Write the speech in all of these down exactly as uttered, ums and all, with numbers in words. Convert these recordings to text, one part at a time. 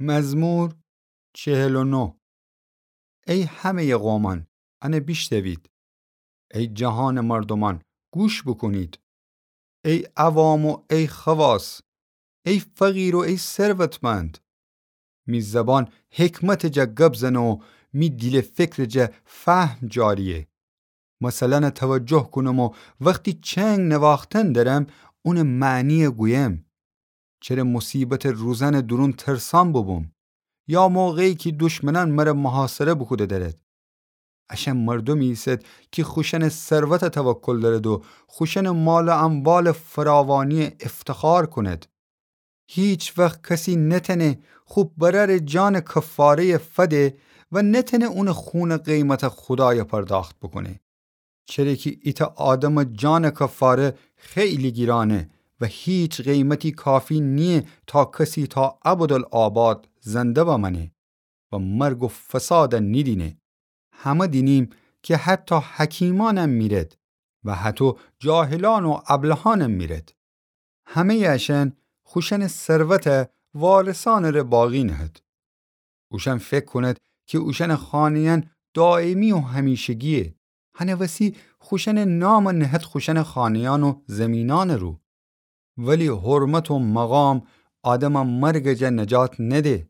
مزمور چهل و نه. ای همه‌یٚ قومأن، انه بیشنوید. ای جهانٚ مردومأن، گوش بوکونید. ای عوام و ای خواص، ای فقیر و ای ثروتمند. می زبان حکمتٚ جا گب زنه و می دیل و فکرٚ جا فهم جاریه. مثلأنٚ توجه کونم و وختی چنگ نواختن درم، اونٚ معنی گویم. چره مصیبتٚ روزأنٚ دورون ترسان بوبوم، یا موقعی کی دشمنأن مر محاصره بوکوده درد؟ اشأن مردومی ایسد کی خوشأنٚ ثروت توکل دأرد و خوشأنٚ مال و اموالٚ فراوانی افتخار کند. هیچ وخت کسی نتأنه خو برأرٚ جانٚ کفاره‌یٚ فده و نتأنه اونٚ خونٚ قیمت خودای پرداخت بوکونه. چره کی ایتأ آدمٚ جانٚ کفاره خیلی گیرانه و هیچ قیمتی کافی نییه تا کسی تا ابدالآباد زنده بمأنه و مرگ و فساد نیدینه. همه دینیم کی حتی حکیمأنم میرد و هطو جاهلأن و ابلهأنم میرد. همه‌یٚ اشأن خوشأنٚ ثروت وارثأنٚ ره باقی نهد. اوشأن فکر کونید کی اوشأنٚ خانه‌یأن دایمی و همیشگییه. هنٚ وسی خوشأنٚ نام نهد خوشأنٚ خانه‌یأن و زیمینأنٚ رو. ولی حرمت و مقام آدمٚ مرگٚ جا نجات نده،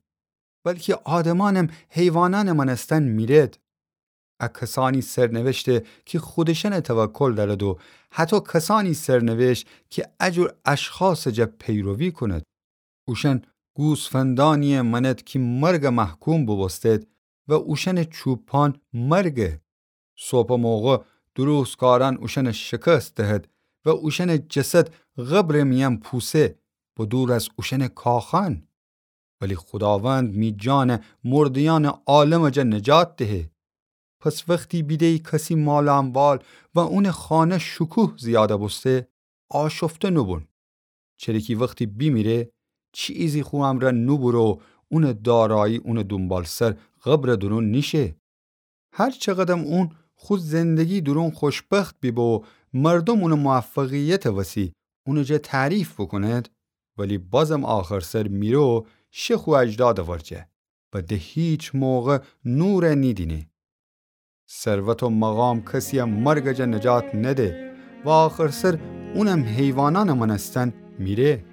بلکی آدمأنم حیوانأنٚ مأنستن میرد. ا کسأنی سرنوشته کی خودشأنٚ توکل دأرد و هطو کسأنی سرنوشت کی ا جور اشخاصٚ جا پیروی کونید. اوشأن گوسفندأنییٚ مأنید کی مرگٚ محکوم بوبوستید و اوشأنٚ چوپان مرگه. صبحٚ موقع درستکارأن اوشأنٚ شکست دهد و اوشأنٚ جسد قبرٚ میأن پوسه، به دور از اوشأنٚ کاخأن. ولی خوداوند می جان مرده‌یأنٚ عالمٚ جا نجات دهه. پس وختی بیده‌یی کسی مال و اموال و اونٚ خانه شکوه زیاده بوسته، آشفته نوبون. چره کی وختی بیمیره، چیزی خو امرأ نوبوره و اونٚ دارایی اونٚ دونبالسر قبرٚ دورون نیشه. هر چقدم اون خو زندگی دورون خوشبخت بیبه و مردوم اونٚ موفقیتٚ وسی اونٚ جا تعریف بوکونید، ولی بازم آخرسر میره و شه خو اجدادٚ ورجه و ده هیچ موقع نور نیدینه. ثروت و مقام کسیی مرگٚ جا نجات نده و آخرسر اونم حیوانأنٚ مأنستن میره.